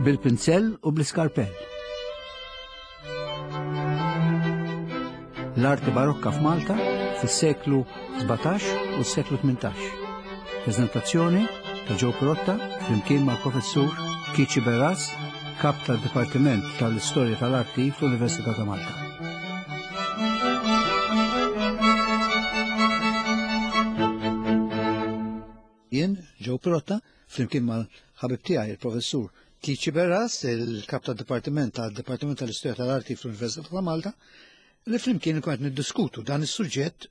Bil-pinzell u bl-iskarpell. L-arti barokka f'Malta fis-seklu 17 u s-seklu 18. Prezentazzjoni ta' Joe Pirotta flimkien mal-professur Kici Beras, kap tad-Dipartiment tal-Istorja tal-Arti fl-Università ta' Malta. Jien, Joe Pirotta, flimkien mal-ħabib tiegħi il-professur Kici Beras, il-kap tad-Dipartiment tal-Dipartiment tal-Istorja tal-Arti fl-Università ta' Malta, li flimkien nkun qed niddiskutu dan is-suġġett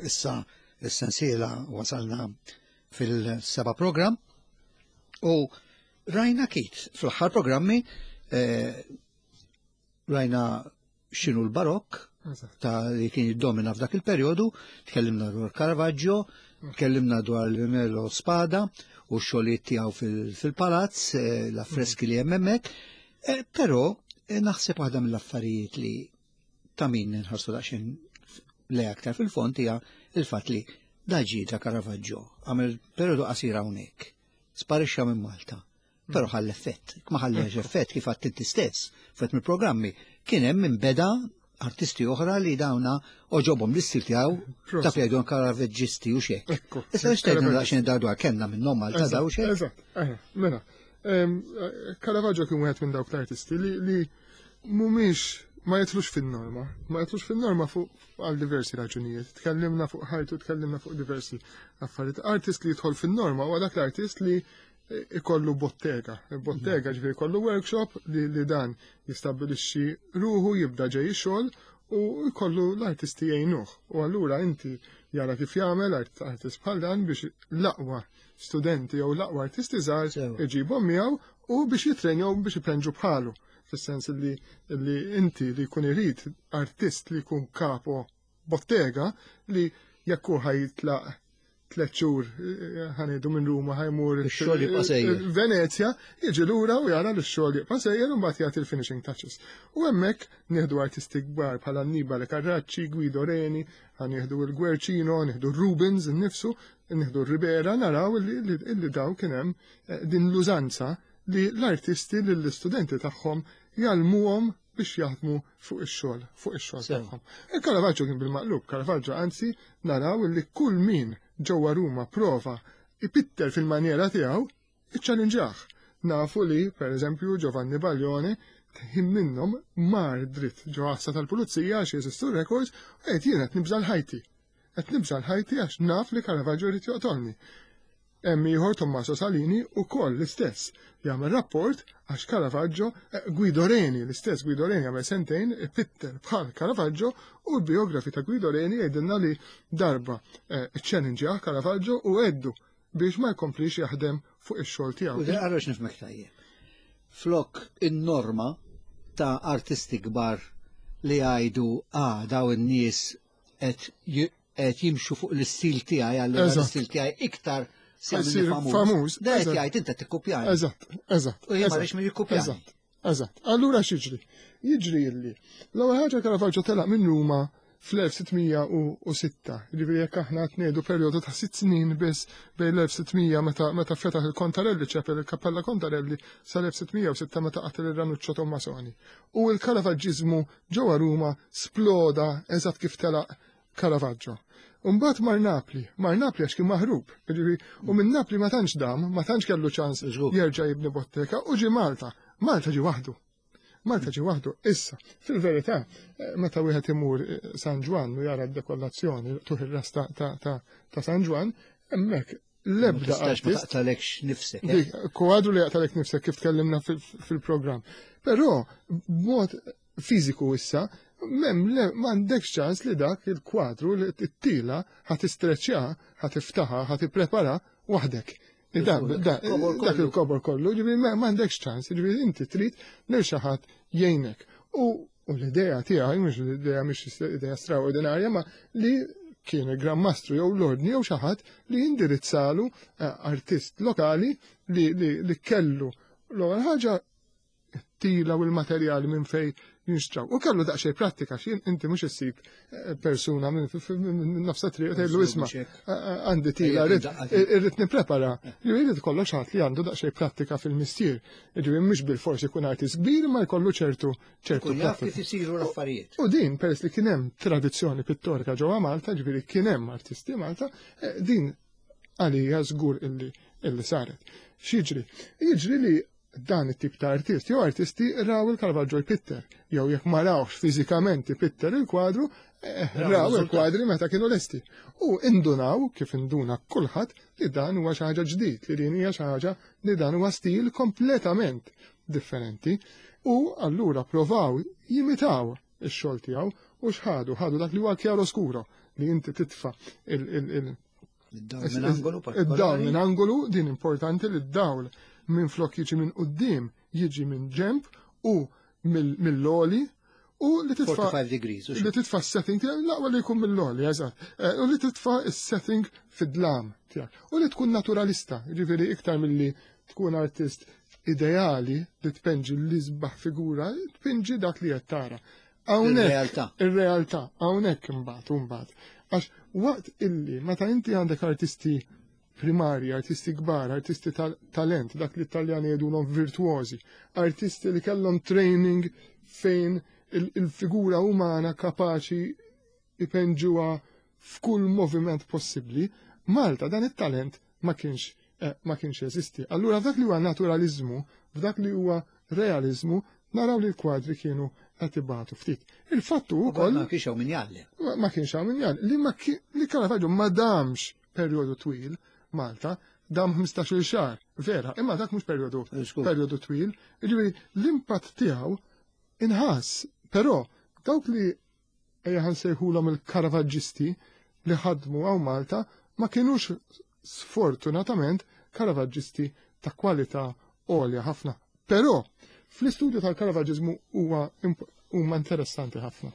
issa s-sensiela wasalna fil-seba' programm u rajna kit fl-aħħar programmi eh, rajna x'inhu l-barokk ta' li kien jiddomina f'dak il-perjodu, tkellimna dwar Caravaggio, tkellimna dwar l-Melo Spada u x-xogħlijiet tiegħu fil-palazz, eh, l-affreski li hemm hemmhekk, eh, però eh, naħseb waħda mill-affarijiet li ta' min nħarsu daqsxejn le aktar fil-fond hija il-fatt li daġi ta' Caravaggio għamel perjodu qasir hawnhekk, sparixxa minn Malta. Però ħall effett, ma ħallex effett kif għadt inti stess, fet mill-programmi, kien hemm min beda artisti oħra li dawna oġobhom l-istil tiegħu ta' fejdu karaveġġisti u xek. Issa biex tgħidna daqsxejn dar dwar kellna minnhom Malta daw xek. Eżatt, mela. Caravaggio kien wieħed minn dawk l-artisti li mhumiex ma jitlux fin-norma, ma jitlux fin-norma fuq għal diversi raġunijiet. Tkellimna fuq ħajtu, tkellimna fuq diversi affarijiet. Artist li jidħol fin-norma huwa dak l-artist li ikollu bottega. Bottega ġifieri jkollu workshop li, li dan jistabbilixxi ruħu jibda ġej xogħol u jkollu l-artisti jgħinuh. U allura inti jara kif jagħmel artist bħal dan biex l-aqwa studenti jew l-aqwa artisti żgħar iġibhom miegħu u biex jitrenjaw biex ipenġu bħalu. Fis-sens li, li inti li jkun irid artist li jkun kapo bottega li jekk hu ħajitlaq tlet xhur eh, ħanedu minn Ruma ħajmur Ix-xogħol jibqa' sejjer. Venezja, jiġi lura u jara li x-xogħol jibqa' sejjer u mbagħad jagħti l-finishing touches. U hemmhekk nieħdu artisti kbar bħala Annibale Carracci, Guido Reni, ħanieħdu l-Guercino, nieħdu Rubens innifsu, nieħdu r-Ribera, naraw illi daw kien hemm eh, din l-użanza li l-artisti lill-istudenti tagħhom jgħallmuhom biex jaħdmu fuq ix-xogħol, fuq ix-xogħol tagħhom. Il-Caravaggio kien bil-maqlub, Caravaggio anzi naraw li kull min ġewwa Ruma prova ipitter fil-maniera tiegħu, iċċalinġah. Nafu li, per eżempju, Giovanni Baglione ħin minnhom mar dritt ġo għassa tal-pulizija għax jeżistu records u qed jien qed nibża' l-ħajti. Qed nibża' l-ħajti għax naf li Caravaggio jrid joqtolni. Hemm ieħor Tommaso Salini wkoll l-istess jagħmel rapport għax Caravaggio, eh, Guido Reni, l-istess Guido Reni għamel sentejn ipitter bħal Caravaggio u l-biografi ta' Guido Reni jgħidilna li darba eh, challenge Caravaggio u għeddu biex ma jkomplix jaħdem fuq ix-xogħol tiegħu. U għarrox nifmek tajjeb. Flok in-norma ta' artisti kbar li jgħidu ah daw in-nies qed qed jimxu fuq l-istil tiegħi għal l-istil tiegħi iktar se famuż. Da qed jgħid inti tikkupjani. Eżatt, eżatt. U jien ma rridx min jikkupjani. Eżatt, eżatt. Allura x'jiġri? Jiġri illi l-ewwel ħaġa Caravaggio telaq minn Ruma fl-1606, ġifieri jekk aħna qed ngħidu perjodu ta' sitt snin biss bejn l-1600 meta meta fetaħ il-Contarelli Chapel, il-Kappella Contarelli sal-1606 meta qatel ir-Ranuccio Tommasoni. U l-Caravaggizmu ġewwa Ruma sploda eżatt kif telaq Caravaggio. Umbagħad mar Napli, mar Napli għax kien maħrub, jiġifieri, u minn Napli ma tantx dam, ma tantx kellu ċans jerġa' jibni bottega u ġie Malta. Malta ġie waħdu. Malta ġie waħdu. Issa, fil-verità, eh, meta wieħed imur eh, San Ġwann u jara d-dekollazzjoni tuħ ir-ras ta' San Ġwann, hemmhekk l-ebda artist. Ma taqtalekx nifsek. Eh? Kwadru li jaqtalek nifsek kif tkellimna fil-programm. Però, b'mod fiżiku issa, mem m'għandekx ċans li dak il-kwadru li t-tila ħa tistreċċja, ħa tiftaħa, ħa tipprepara waħdek. Dak il-kobor kollu, ġifieri m'għandekx ċans, ġifieri inti trid lil xi ħadd jgħinek. U l-idea tiegħi mhux l-idea mhix idea straordinarja, ma li kien il-Gran Mastru jew l-Ordni jew xi ħadd li jindirizzalu eh, artist lokali li kellu l-ewwel ħaġa it-tila u l-materjali minn fej jinxtraw. U kellu daqsxejn prattika x'jien inti mhux issib eh, persuna minn nofsa triq tgħidlu isma' eh, eh, għandi tila irrid nipprepara. Jrid kollox ħadd li għandu daqsxejn prattika fil-mistier. Jiġifieri mhux bil-forsi jkun artist kbir ma jkollu ċertu ċertu prattika. Kif isiru l-affarijiet. U din peress li kien hemm tradizzjoni pittorika ġewwa Malta, ġifieri kien hemm artisti Malta, din għalija żgur illi illi saret. X'jiġri? Jiġri li dan it-tip ta' artist jew artisti raw il-Caravaggio jpitter, jew jekk ma rawx fiżikament ipitter il-kwadru, eh, raw il-kwadri meta kienu lesti. U indunaw, kif induna kulħadd, li dan huwa xi ħaġa ġdid, li din hija xi ħaġa li dan huwa stil kompletament differenti. U allura provaw jimitaw ix-xogħol tiegħu u x'ħadu, ħadu dak li huwa chiaroscuro li inti titfa' il Id-dawl minn angolu Id-dawl minn angolu, din importanti li d-dawl minn flok jiġi minn quddiem jiġi minn ġemp u mill-oli u li titfa' 45 degrees. Li titfa' setting tiegħek l-aqwa li jkun mill-oli, eżatt. Eh, u li titfa' s-setting fid-dlam tiegħek. U li tkun naturalista, jiġifieri iktar milli tkun artist ideali li tpenġi l-isbaħ figura, tpinġi dak li qed tara. Hawnhekk ir-realtà, hawnhekk imbagħad imbagħad. Għax waqt illi meta inti għandek artisti primarji, artisti kbar, artisti talent, dak li t-Taljani jgħidulhom virtuosi, artisti li kellhom training fejn il-figura umana kapaċi ipenġuha f'kull moviment possibbli, Malta dan it-talent ma kienx eh, ma kienx jeżisti. Allura f'dak li huwa naturalizmu, f'dak li huwa realizmu, naraw li l-kwadri kienu qed ibatu ftit. Il-fattu wkoll ma kienx hawn min jgħallem. Ma kienx hawn min jgħallem. Li ma li Caravaggio ma damx perjodu twil Malta, dam 15-il xahar, vera, imma dak mhux perjodu perjodu twil. Jiġifieri l-impatt tiegħu inħass, però dawk li ejja ħa nsejħulhom il-Karavaggisti li ħadmu hawn Malta ma kinux sfortunatament Karavaggisti ta' kwalità għolja ħafna. Però fl-istudju tal-Karavaggiżmu huwa huma interessanti ħafna.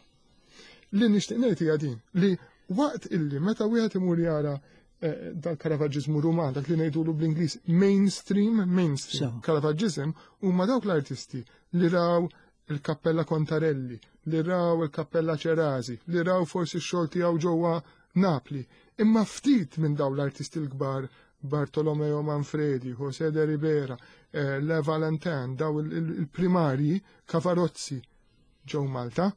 Li nixtieq ngħid hija din li waqt illi meta wieħed imur jara eh, dal-Karavaggiżmu Ruman, dak li ngħidulu bl-Ingliż mainstream, mainstream Karavaggiżm huma dawk l-artisti li raw il-Kappella Contarelli, li raw il-Kappella Cerasi, li raw forsi x-xogħol tiegħu ġewwa Napli. Imma ftit minn dawn l-artisti l-kbar Bartolomeo Manfredi, José de Ribera, eh, Le Valentin, daw il-primarji Cavarozzi ġew Malta.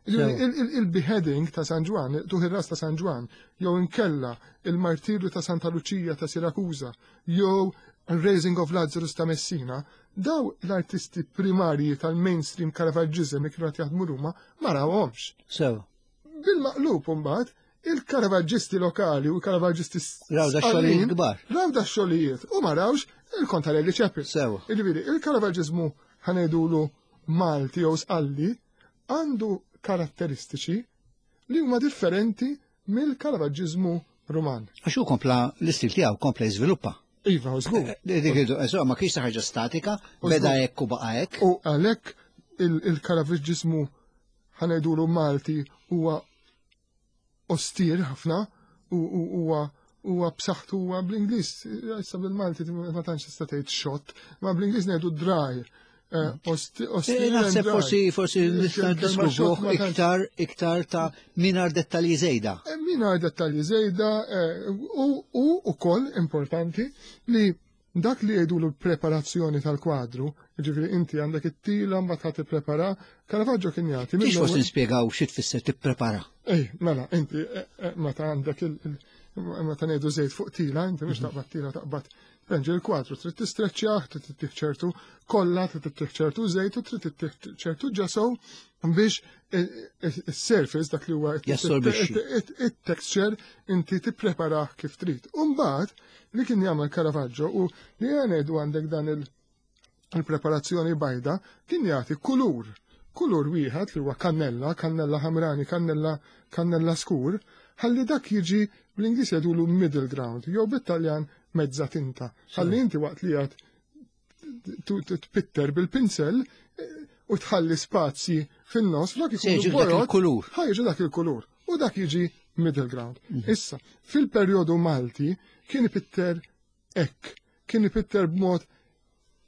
Il-beheading ta' San Ġwan, tuħ ir-ras ta' San Ġwan, jew inkella il-martirju ta' Santa Lucia ta' Sirakuza, jew Raising of Lazarus ta' Messina, daw l-artisti primarji tal-mainstream Caravaggism li kienu qed jaħdmu Ruma ma rawhomx. Sew. Bil-maqlub imbagħad il-Caravaggisti lokali u l-Caravaggisti Raw da xogħlijiet kbar. Raw da xogħlijiet u ma rawx il-Contarelli Chapel. Sew. Jiġifieri il-Caravaggismu ħanejdulu Malti jew Sqalli għandu karatteristiċi li huma differenti mill-Caravaggismu Ruman. Għax hu kompla l-istil tiegħu kompla jiżviluppa. Iva, żgur. Eh, eh, dik eh, ma kienx ħaġa statika, beda hekk u baqa' hekk. U għalhekk il-Caravaggismu ħanejdulu Malti huwa ostir ħafna u huwa huwa b'saħħtu huwa bl-Ingliż, issa bil-Malti ma tantx tista' tgħid xott, ma bl-Ingliż ngħidu dry. Eh, eh, naħseb forsi forsi nista' niddeskrivuh iktar iktar ta' mingħajr dettalji żejda. Eh, mingħajr dettalji żejda u ukoll importanti li dak li jgħidu l-preparazzjoni tal-kwadru, ġifieri inti għandek it-tila mbagħad ħadd tipprepara, Caravaggio kien jagħti. Kif forsi nispjegaw xi tfisser tipprepara? Ej, mela, inti meta għandek il meta ngħidu żejt fuq tila, inti mhux taqbad tila taqbad Penġi l-kwadru trid tistreċċjah, trid ittih ċertu kolla, trid ittih ċertu żejt u trid ittih ċertu ġesow biex is-surface dak li huwa it-texture inti tippreparah kif trid. U mbagħad li kien jagħmel Caravaggio u li ngħidu għandek dan il-preparazzjoni bajda kien jagħti kulur kulur wieħed li huwa kannella, kannella ħamrani, kannella kannella skur, ħalli dak jiġi bl-Ingliż jgħidulu middle ground, jew bit-Taljan mezza tinta. Ħalli inti waqt li qed tpitter bil-pinsel eh, u tħalli spazji fin-nofs flok ikunu dak il-kulur. Ħajġu dak il-kulur u dak jiġi middle ground. Mhm. Issa, fil-perjodu Malti kien ipitter hekk, kien ipitter b'mod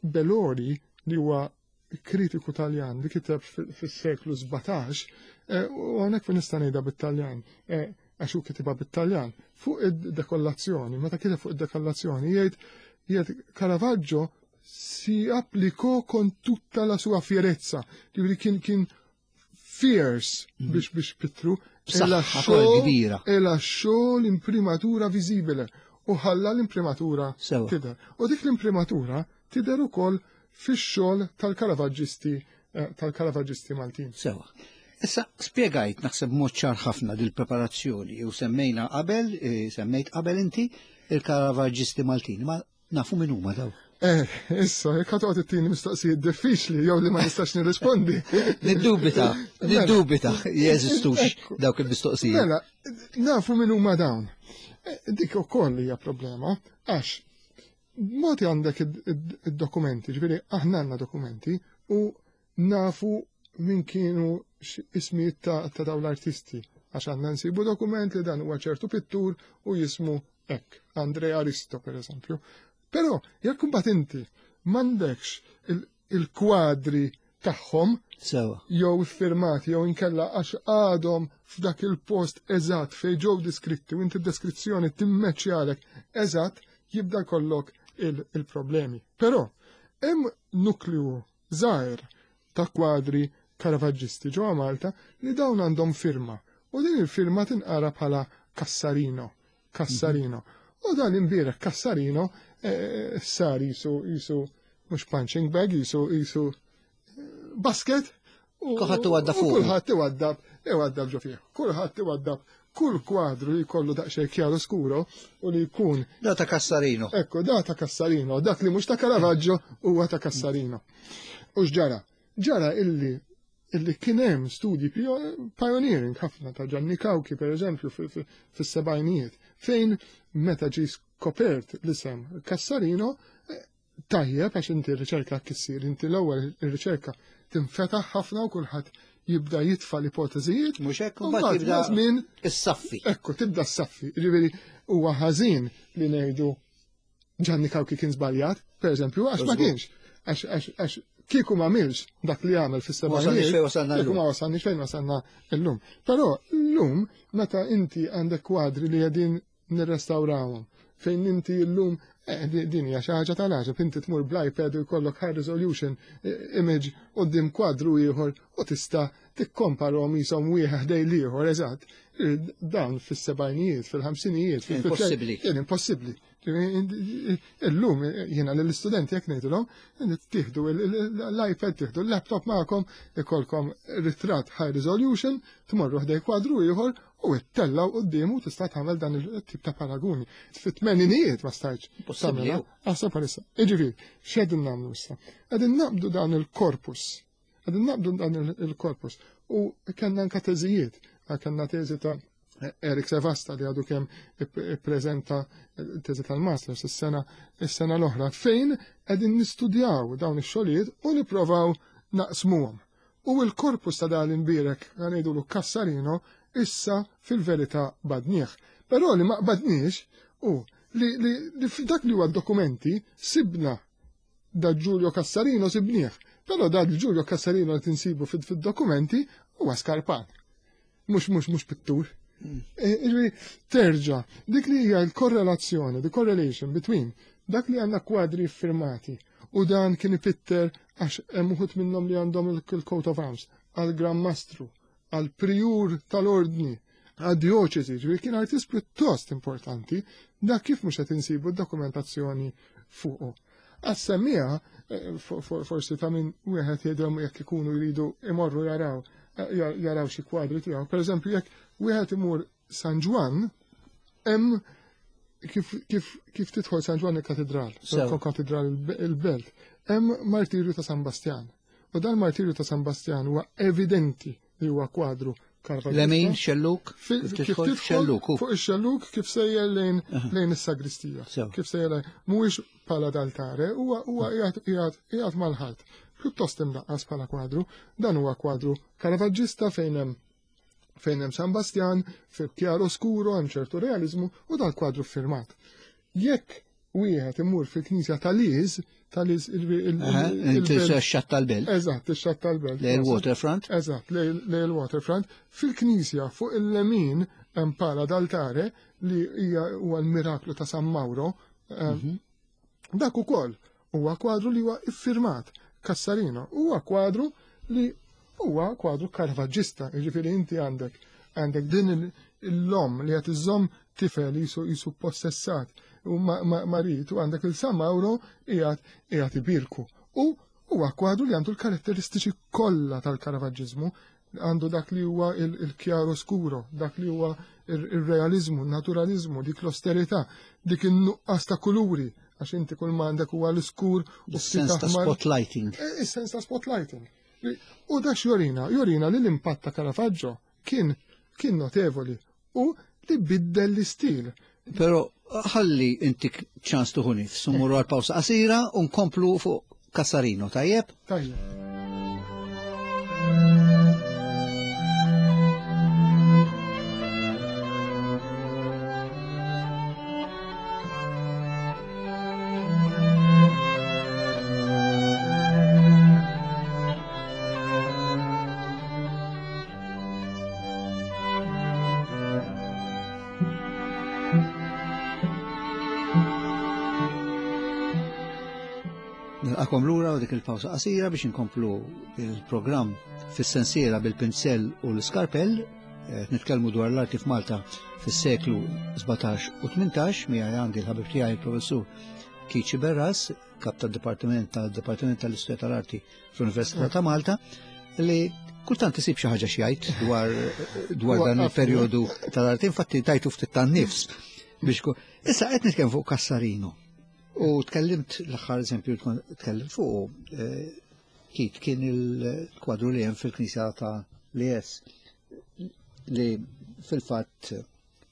Belori li huwa kritiku Taljan li kiteb fis-seklu 17, eh, u hawnhekk fejn nista' ngħidha bit-Taljan, eh, għax hu kitibha bit-Taljan, fuq id-dekollazzjoni, meta kiteb fuq id-dekollazzjoni jgħid jgħid Caravaggio si applicò con tutta la sua fierezza, ġifieri kien kien fierce mhm. biex biex pittru, e lasciò l-imprimatura visibile u ħalla l-imprimatura tidher. U dik l-imprimatura tidher ukoll fix-xogħol tal-Karavaggisti eh, tal-Karavaggisti Maltin. Sewa. Issa spjegajt naħseb mod ċar ħafna dil-preparazzjoni u semmejna qabel, eh, semmejt qabel inti il-Karavaggisti Maltin, ma nafu min huma daw. Eh, issa, jekk ħa toqgħod ittini mistoqsijiet diffiċli jew li ma nistax nirrispondi. Niddubita, mela. niddubita jeżistux dawk il-mistoqsijiet. Mela, nafu min huma dawn. Eh, dik ukoll hija problema, għax Moti għandek id-dokumenti, ġifieri aħna għandna dokumenti u nafu min kienu ismijiet ta' dawn l-artisti. Għax għandna nsibu dokument li dan huwa ċertu pittur u jismu hekk, Andrea Aristo per eżempju. Però jekk imbagħad inti m'għandekx il-kwadri tagħhom Sewa. jew iffirmati jew inkella għax għadhom f'dak il-post eżatt fejn ġew diskritti u inti d-deskrizzjoni timmeċjalek eżatt jibda jkollok il-problemi. Però hemm nukleu żgħir ta' kwadri Caravaggisti ġewwa Malta li dawn għandhom firma u din il-firma tinqara bħala Cassarino. Cassarino. U dan imbierek Cassarino eh, sar jisu jisu mhux punching bag jisu jisu eh, basket. Kulħadd iwaddab fuq. Kulħadd iwaddab, iwaddab ġo fih. Kulħadd iwaddab kull kwadru li jkollu daqsxejn chiaro scuro u li jkun. Da ta' Cassarino. Ekku, da ta' Cassarino, dak li mhux ta' Caravaggio huwa ta' Cassarino. U x'ġara? Ġara illi illi kien hemm studji pioneering ħafna ta' Gianni Cauchi per eżempju fis-sebgħinijiet fejn meta ġie skopert l-isem Cassarino eh, tajjeb għax inti r-riċerka kissir, inti l-ewwel ir-riċerka tinfetaħ ħafna u kulħadd jibda jitfa' l-ipoteżijiet. Mhux hekk mbagħad jibda żmien is-saffi. Ekku tibda s-saffi. Jiġifieri huwa ħażin li ngħidu Gianni Cauchi kien żbaljat, per eżempju, għax ma kienx. Għax kieku ma milx dak li għamel fis-sebgħinijiet. Kieku ma wasalniex fejn wasalna llum. Però llum meta inti għandek kwadri li qegħdin nirrestawrawhom fejn inti llum eh, din hija xi ħaġa tal-għaġeb, inti tmur bl-iPad u jkollok high resolution eh, image quddiem kwadru ieħor u tista' tikkomparhom jisom wieħed ħdej l-ieħor eżatt. Eh, dawn fis-sebgħinijiet, fil-ħamsinijiet, fil-impossibbli. Kien impossibbli. Illum jiena lill-istudenti jekk ngħidilhom tieħdu l-iPad, tieħdu l-laptop magħkom, ikolkom ritratt high resolution, tmorru ħdej kwadru ieħor u ttellaw quddiemu tista' tagħmel dan il-tip ta' paraguni. Fit-tmeninijiet ma stajtx. Possibbli. Aħseb bħalissa. Jiġifieri, x'qegħdin nagħmlu issa? Qegħdin naqbdu dan il-korpus Għadin naqbdu dan il-korpus. U kellna anka teżijiet, kellna teżi ta' Erik Sevasta li għadu kemm ippreżenta teżi tal-masters is-sena is-sena l-oħra fejn qegħdin nistudjaw dawn ix-xogħlijiet u nipprovaw naqsmuhom. U l-korpus ta' dan imbierek ngħidulu Cassarino issa fil-verità badnieh. Però li ma qbadniex u li, li, li f'dak li huwa dokumenti sibna Da Giulio Cassarino sibnieh, però da Giulio Cassarino li tinsibu fid-dokumenti huwa skarpan. Mhux mhux mhux pittur. Mm. E, terġa, dik li hija l-korrelazzjoni, the correlation between dak li għandna kwadri firmati u dan kien ipitter għax hemm uħud minnhom li għandhom il-coat of arms għal Gran Mastru, għal prijur tal-ordni, għad-dioċesi, ġifieri kien artist pjuttost importanti, dak kif mhux qed insibu d-dokumentazzjoni fuqu. Għas-semmija, eh, forsi ta' min wieħed jgħidhom jekk ikunu jridu imorru jaraw eh, jaraw xi kwadri tiegħu. Pereżempju jekk wieħed imur San Ġwann, hemm kif, kif, kif tidħol San Ġwann il-katedral, katedral il-belt, hemm martirju ta' San Bastjan. U dan martirju ta' San Bastjan huwa evidenti li huwa kwadru Caravaggio. Lemin, xelluk, kif tidħol xelluk. Fuq ix-xelluk kif sejjer lejn lejn is-sagristija. Kif sejjer lejn mhuwiex bħala d'altare, huwa huwa qiegħed qiegħed mal-ħajt. Pjuttost imdaqqas bħala kwadru, dan huwa kwadru Caravaggista fejn hemm fejn hemm San Bastjan, fil chiaro scuro hemm ċertu realizmu u dal kwadru firmat. Jekk wieħed imur fil-knisja tal-Liż, tal-Liż il-xatt tal-Belt. Eżatt, ix-xatt tal-Belt. Lej il-waterfront. Eżatt, lej il-waterfront. Fil-knisja fuq il-lemin hemm pala d'altare li hija huwa l-miraklu ta' San Mauro. Mhm. Dak ukoll huwa kwadru li huwa iffirmat Cassarino. Huwa kwadru li huwa kwadru karvaġġista, jiġifieri inti għandek għandek din l-lom li qed iżomm tifel jisu jisu possessat u marit u għandek il-San Mauro qiegħed qiegħed ibirku. U huwa kwadru li għandu l-karatteristiċi kollha tal-Karavaġġiżmu, għandu dak li huwa il-chiaro scuro, dak li huwa il-realizmu, naturalizmu, dik l-austerità, dik in-nuqqas ta' kuluri, għax inti kull m'għandek huwa l-iskur u sens ta' spotlighting. E, is-sens ta' spotlighting. U dak jorina, jorina li l-impatt ta' Caravaggio kien kien notevoli u li biddel l-istil. Pero ħalli intik ċans tuħu nifs, mmorru għal pawsa qasira u nkomplu fuq Cassarino, tajjeb? Tajjeb. Nilqakom lura u dik il-pawsa qasira biex inkomplu il-programm fis-sensiela bil-pinsell u l-iskarpell. Eh, nitkellmu dwar l-arti f'Malta fis-seklu 17 u 18 miegħi għandi l-ħabib tiegħi il-professur Kiċi Berras, kap tad-Dipartiment tal-Dipartiment tal-Istorja tal-Arti fl-Università ta' Malta, li kultant isib xi ħaġa xi dwar dwar dan il-perjodu tal-arti, infatti tajtu ftit tan-nifs biex Issa qed nitkellem fuq Cassarino. U tkellimt l-aħħar eżempju tkellimt fuq eh, kit kien il-kwadru li hemm fil-knisja ta' Lies li fil-fatt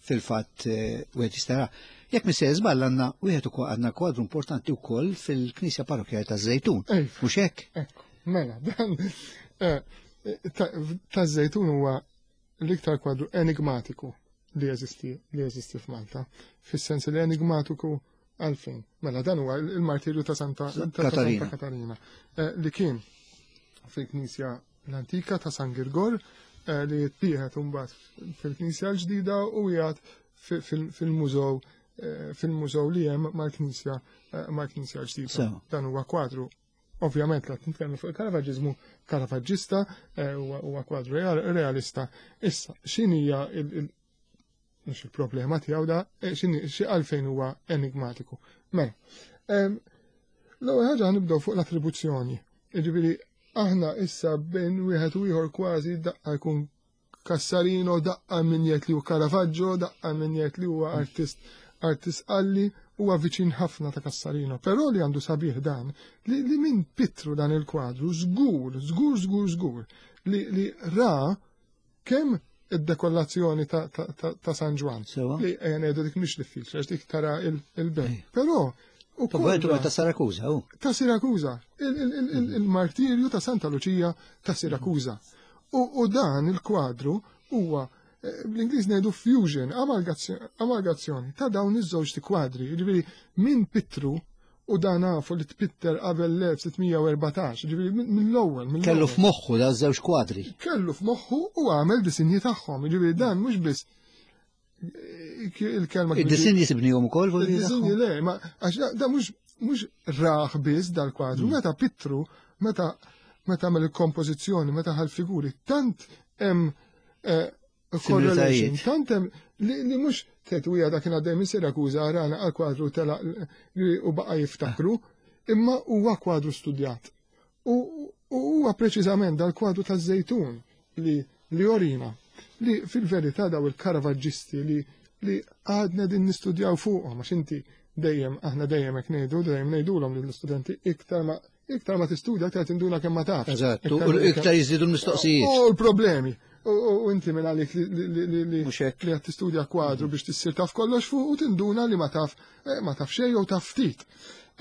fil-fatt eh, wieħed jista' Jekk mi se żball għandna wieħed ukoll għandna kwadru importanti wkoll fil-Knisja Parrokkjali taż-Żejtun. Mhux hekk? Ekku, mela, dan eh, taż-Żejtun huwa l-iktar kwadru enigmatiku li jeżisti li jeżisti f'Malta. Fis-sens li enigmatiku għalfejn. Mela dan huwa il-martirju ta' Santa Katarina, Katarina eh, li kien fil-Knisja l-antika ta' San Girgor eh, li jittieħed imbagħad fil-Knisja l-ġdida u jgħad fil-mużew eh, fil-mużew li hemm mal-Knisja eh, mal-Knisja l-ġdida. Dan huwa kwadru ovvjament la nitkellmu fuq il-Karavaġġiżmu Karavaġġista huwa kwadru realista. Issa, x'inhija il mhux il-problema tiegħu da, x'inhi xi għalfejn huwa enigmatiku. Mela, l-ewwel ħaġa nibdew fuq l-attribuzzjoni. Jiġifieri aħna issa bejn wieħed u ieħor kważi daqqa jkun Cassarino, daqqa min jgħid li hu Caravaggio, daqqa min jgħid li huwa artist artist qalli huwa viċin ħafna ta' Cassarino. Però li għandu sabiħ dan, li, li min pitru dan il-kwadru, żgur, żgur, żgur, żgur, li, li ra kemm id-dekollazzjoni ta', ta, ta, ta San Ġwann. Li ejja ngħidu dik mhix diffiċli għax dik tara il-belt. Però Ukoll ta' Sirakuża, u. Ta' Sirakuża, il-martirju ta' Santa Luċija ta' Sirakuża. U dan il-kwadru huwa eh, bl-Ingliż ngħidu fusion, amalgazzjoni ta' dawn iż-żewġ kwadri. Jiġifieri minn Pitru u dan nafu li tpitter qabel l-1614, ġifieri mill-ewwel. Kellu f'moħħu da żewġ kwadri. Kellu f'moħħu u għamel disinji tagħhom, ġifieri dan mhux biss il-kelma. Id-disinji sibnihom ukoll Id-disinji le, ma għax da mhux mhux raħ biss dal-kwadru, mm. meta pittru, meta meta għamel il-kompożizzjoni, meta ħal figuri, tant hemm eh, correlation, tant hemm li mhux tetwija dak kien għaddej minn Sirakuża rana għal kwadru tela u baqa' jiftakru, imma huwa kwadru studjat. U huwa preċiżament dal-kwadru taż-żejtun li li jorina li fil-verità daw il-karavaġġisti li li għadna din nistudjaw fuqhom għax inti dejjem aħna dejjem hekk ngħidu, dejjem ngħidulhom lill-istudenti iktar ma iktar ma tistudja iktar tinduna kemm ma tafx. Eżatt, u iktar jiżdiedu l-mistoqsijiet. U l-problemi. U inti minn għalik li li qed tistudja kwadru biex tissir taf kollox fuq u tinduna li ma taf eh, ma taf xejn jew taf ftit.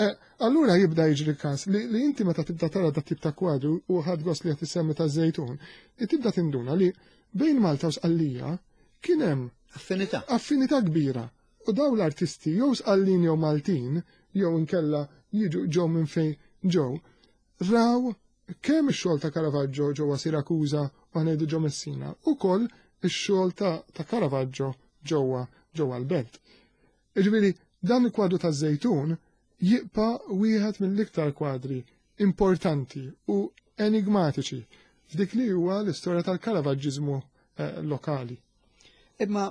Eh, allura jibda jiġri każ li inti meta tibda tara dat tip ta' kwadru u ħadd gost li qed issemmi ta' żejtun, tibda tinduna li bejn Malta u Sqallija kien hemm affinità. Affinità kbira. U daw l-artisti jew Sqallin jew Maltin. jew inkella jiġu ġew minn fejn ġew, raw kemm ix-xogħol ta' Caravaggio ġewwa Siracusa u ngħidu ġo Messina, ukoll ix-xogħol ta' Caravaggio ġewwa ġewwa l-belt. Jiġifieri dan il-kwadru taż-Żejtun jibqa' wieħed mill-iktar kwadri importanti u enigmatiċi f'dik li huwa l-istorja tal-Caravaġġiżmu eh, lokali. Imma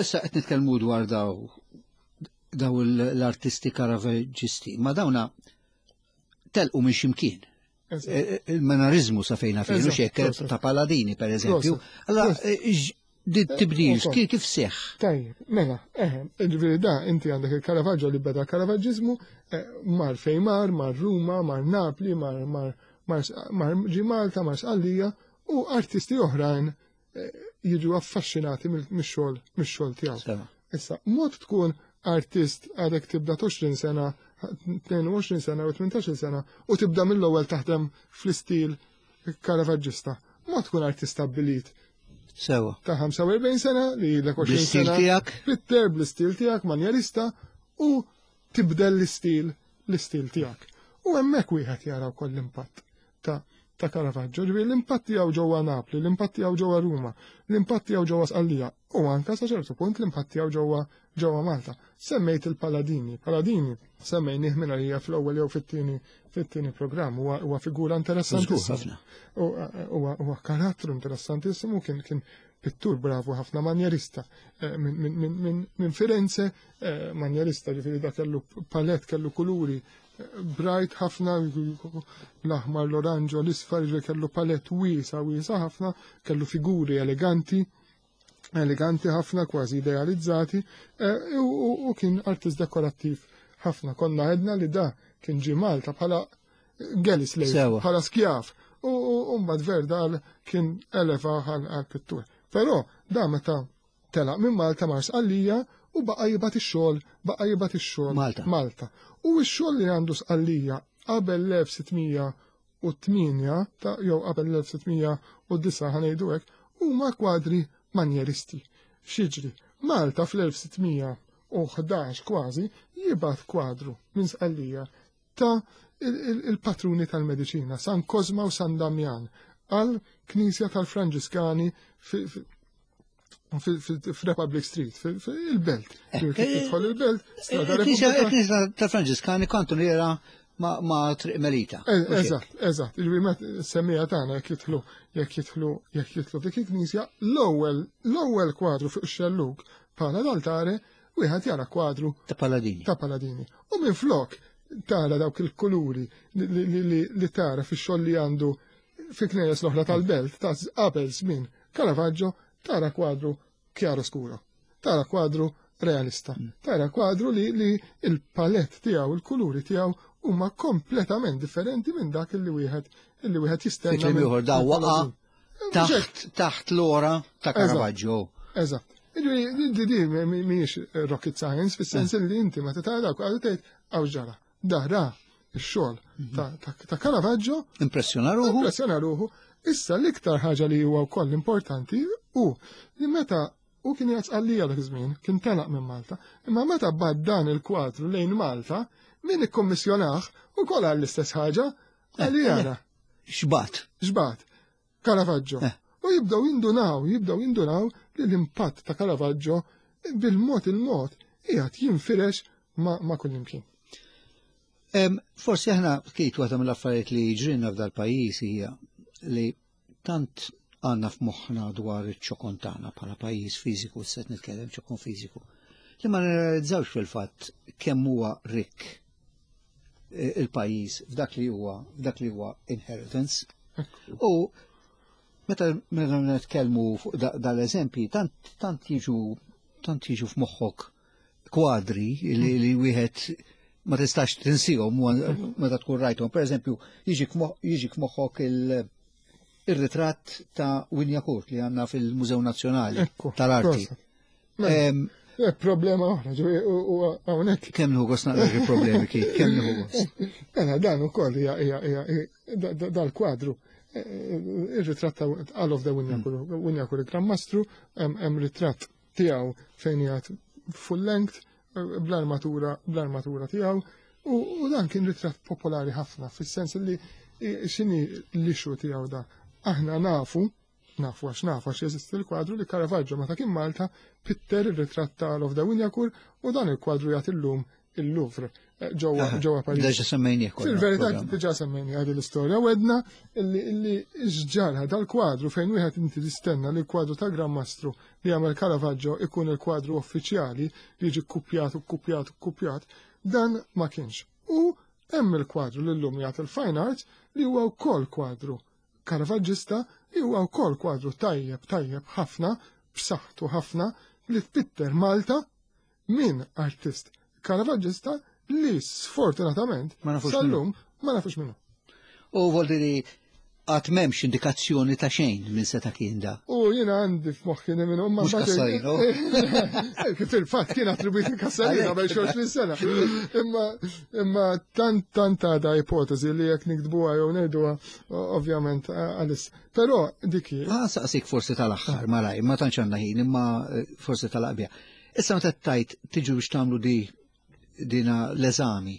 issa qed nitkellmu dwar daw daw l-artisti Caravaġġisti, ma dawna telqu minn ximkien. E, e, il-manarizmu sa fejna fejn, u xekk ta' Paladini, per eżempju. Allora, e, tibdil, kif seħ? Tajjeb, mela, eħe, ġifieri da, inti għandek il-Caravaggio li beda Caravaggismu, mar fejn mar, mar Ruma, mar Napli, mar mar mar ġi Malta, mar Sqallija, u artisti oħrajn jiġu affaxxinati mix-xogħol mix-xogħol tiegħu. Issa, mod tkun artist għadek tibda 20 sena, 22 sena u 18 sena u tibda mill-ewwel taħdem fl-istil Caravaggista. Mod tkun artist stabbilit. Sewa. Ta' 45 sena li l 20 sena. tiegħek. Pitter bl-istil tiegħek manjerista u tibdel l-istil l-istil tiegħek. U hemmhekk wieħed jara wkoll l-impatt ta' ta' Caravaggio, ġifieri l-impatt tiegħu ġewwa Napli, l-impatt tiegħu ġewwa Ruma, l-impatt tiegħu ġewwa Sqallija u anke sa ċertu punt l-impatt tiegħu ġewwa ġewwa Malta. Semmejt il-Paladini, Paladini semmejnih minn għalija fl-ewwel jew fit-tieni fit-tieni programm huwa huwa figura interessantissima. Huwa huwa karattru interessantissimu kien kien pittur bravu ħafna manjerista eh, minn Firenze eh, manjerista ġifieri da kellu palet kellu kuluri bright ħafna, l-aħmar, l-oranġo, l-isfar, ġifieri kellu palett wiesa wiesa ħafna, kellu figuri eleganti, eleganti ħafna, kważi idealizzati, eh, u kien artist dekorattiv ħafna. Konna għedna li da kien ġie Malta bħala galley slave, bħala skjav, u mbagħad Verdal kien eleva għal pittur. Però da meta Telaq minn Malta mar Sqallija u baqa' jibgħat ix-xogħol, baqa' jibgħat ix-xogħol Malta. Malta. U x-xogħol li għandu Sqallija qabel l-1608 ta' jew qabel l-1609 ħa ngħidu hekk, huma kwadri manjeristi. X'jiġri? Malta fl-1611 kważi jibgħat kwadru minn Sqallija ta' il-patruni tal-mediċina, San Kozma u San Damjan, għal knisja tal-Franġiskani f'Republic Street, fil-belt. Eh, Tidħol il-belt, strada Repubblika. Knisja tal-Franġiskani kantuniera ma' Triq Melita. Eh, eżatt, eżatt. Il-wimet semmija tagħna jekk jidħlu, jekk jidħlu, jekk jidħlu dik il-knisja, l-ewwel l-ewwel kwadru fuq ix-xellug bħala l-altare wieħed jara kwadru ta' Paladini. Ta' Paladini. U minn flok tara dawk il-kuluri li tara fix-xogħol li għandu fi knejjes l-oħra tal-belt ta' qabel żmien Caravaggio tara kwadru chiaro scuro. Tara kwadru realista. Mm. Tara kwadru li, li il-palett tiegħu, il-kuluri tiegħu huma kompletament differenti minn dak li wieħed li wieħed jistenna. Fi da waqa' taħt taħt l-ora ta' Caravaggio. Eżatt. Di di mhijiex rocket science, fis-sens eh. li inti meta tara dak għadu tgħid għaw ġara. Dara x-xogħol mhm. ta' Caravaggio. Impressjona ruħu. Impressjona ruħu. Issa l-iktar ħaġa li huwa wkoll importanti hu li meta u kien jgħid għalija dak iż-żmien, kien telaq minn Malta, imma meta bad dan il-kwadru lejn Malta, min ikkommissjonah ukoll għall-istess ħaġa għalija. Eh, Xbat. Xbat. Caravaggio. Eh. U jibdew jindunaw, jibdew jindunaw li l-impatt ta' Caravaggio bil-mod il-mod qiegħed jinfirex ma', ma kullimkien. Forsi aħna kif waħda mill-affarijiet li ġrinna f'dal pajjiż hija li tant għandna f'moħħna dwar iċ-ċokon tagħna bħala pajjiż fiżiku, se nitkellem ċokon fiżiku, li ma nirrealizzawx fil-fatt kemm huwa rikk eh, il-pajjiż f'dak li huwa f'dak li huwa inheritance. U meta meta nitkellmu fuq dal-eżempji tant tant jiġu tant jiġu f'moħħok kwadri li, li wieħed ma tistax tinsihom meta tkun rajthom. Per eżempju, jiġik f'moħħok il-ritratt ta' Winjacourt li għandna fil-Mużew Nazzjonali tal-Arti. Mela, eh, problema oħra, ġifieri u hawnhekk. Kemm nieħu gost naqra problemi kif, kemm nieħu gost. Mela dan ukoll hija dal-kwadru. Eh, eh, ir-ritratt ta' All of the Winjakur il-Gran Mastru, hemm ritratt tiegħu fejn jgħid full length. bl-armatura bl-armatura tiegħu u dan kien ritratt popolari ħafna fis-sens li x'inhi l-issue tiegħu da. Aħna nafu, nafu għax nafu għax jeżisti l-kwadru li Caravaggio meta kien Malta pitter ir-ritratt ta' Alof de Wignacourt u dan il-kwadru jagħti llum il-Louvre ġewwa ġewwa Pariġi. Diġà semmejnieh kollha. Fil-verità diġà semmejnieh għadi l-istorja u għedna illi x'ġara dal-kwadru fejn wieħed inti tistenna li l-kwadru ta' Gran Mastru li għamel Caravaggio ikun il-kwadru uffiċjali li jiġi kkupjat u kkupjat u kkupjat, dan ma kienx. U hemm il-kwadru li llum jagħti l-Fine Arts li huwa wkoll kwadru Caravaggista li huwa wkoll kwadru tajjeb tajjeb ħafna, b'saħħtu ħafna, li tpitter Malta minn artist Caravaggista li sfortunatament Ma nafux sal-lum ma nafux minnu. U voldiri għad m'hemmx indikazzjoni ta' xejn minn seta' kien da. U jiena għandi f'moħħi li minnu Mhux Cassarino. Kif fil-fatt kien attribwit Cassarino qabel xi 20 sena. Imma imma tant tant għadha ipotezi li jekk niktbuha jew ngħiduha ovvjament għalis. Però dik hi. Ah, saqsik forsi tal-aħħar malaj, ma tantx għandna ħin, imma forsi tal-aqbija. Issa meta tajt tiġu biex tagħmlu di dina l-eżami,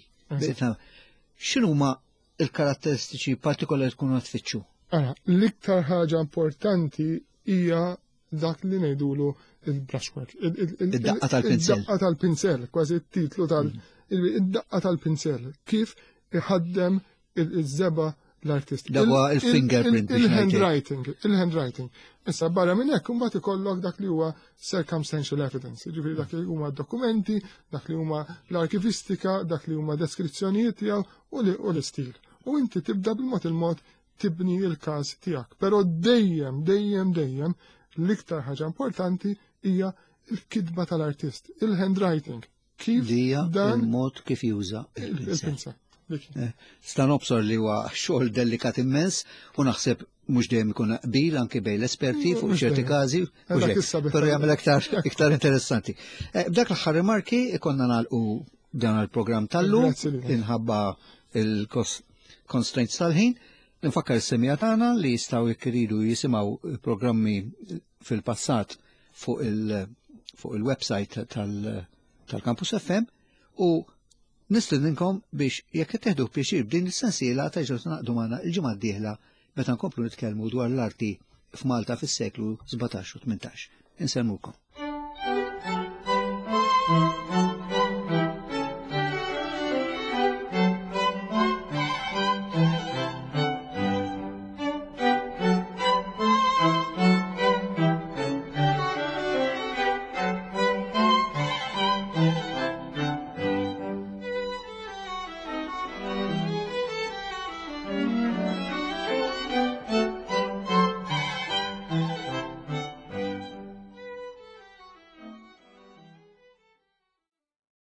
x'inhuma il-karatteristiċi partikolari tkunu qed tfittxu? Ara, l-iktar ħaġa importanti hija dak li ngħidulu il-brushwork. Id-daqqa tal-pinsel. Id-daqqa tal-pinsel, kważi t-titlu tal- id-daqqa tal-pinsel. Kif iħaddem iż-żebgħa l-artist. Dak huwa il-fingerprint biex ngħid hekk. Il-handwriting, il-handwriting. Issa barra minn hekk imbagħad ikollok dak li huwa circumstantial evidence, jiġifieri dak li huma dokumenti, dak li huma l-arkivistika, dak li huma deskrizzjonijiet tiegħu u l-istil. U inti tibda bil-mod il-mod tibni l-każ tiegħek. Però dejjem, dejjem, dejjem l-iktar ħaġa importanti hija l-kitba tal-artist, il-handwriting. Kif Li hija dan il-mod kif juża il-pinsel. il-pinsel. Dik. Sta nobsor li huwa xogħol delikat immens u naħseb mhux dejjem ikun qbil anke bejn l-esperti fuq Mhux ċerti dejjem. każi, mhux Dak hekk, issa biss. però jagħmel iktar interessanti. B'dak l-aħħar rimarki ikonna nagħlqu dan il-programm tal-lum Grazzi lilek. inħabba il-constraints tal-ħin. Nfakkar is-semija tagħna li jistgħu jekk iridu jisimgħu programmi fil-passat fuq il-website tal-Campus FM u nistedinkom biex jekk qed teħdu pjaċir b'din is-sensiela terġgħu tingħaqdu magħna l-ġimgħa d-dieħla meta nkomplu nitkellmu dwar l-arti f'Malta fis-seklu 17 u 18. Insellmukom.